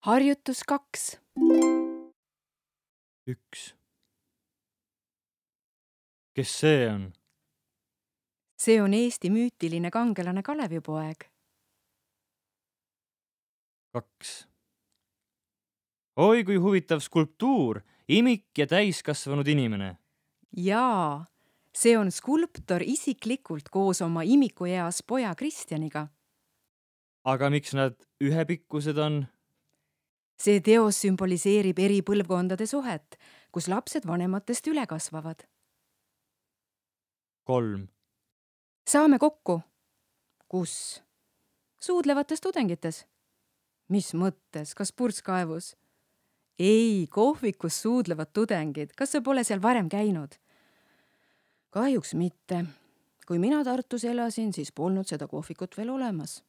Harjutus 2. Üks. Kes see on? See on Eesti müütiline kangelane Kalevipoeg. 2. Oi, kui huvitav skulptuur, imik ja täiskasvanud inimene. Jaa, see on skulptor isiklikult koos oma imikueas poja Kristjaniga. Aga miks nad ühepikkused on? See teos sümboliseerib eri põlvkondade suhet, kus lapsed vanematest üle kasvavad. 3. Saame kokku. Kus? Suudlevates tudengites. Mis mõttes? Kas purskkaevus? Ei, kohvikus suudlevad tudengid. Kas sa pole seal varem käinud? Kahjuks mitte. Kui mina Tartus elasin, siis polnud seda kohvikut veel olemas.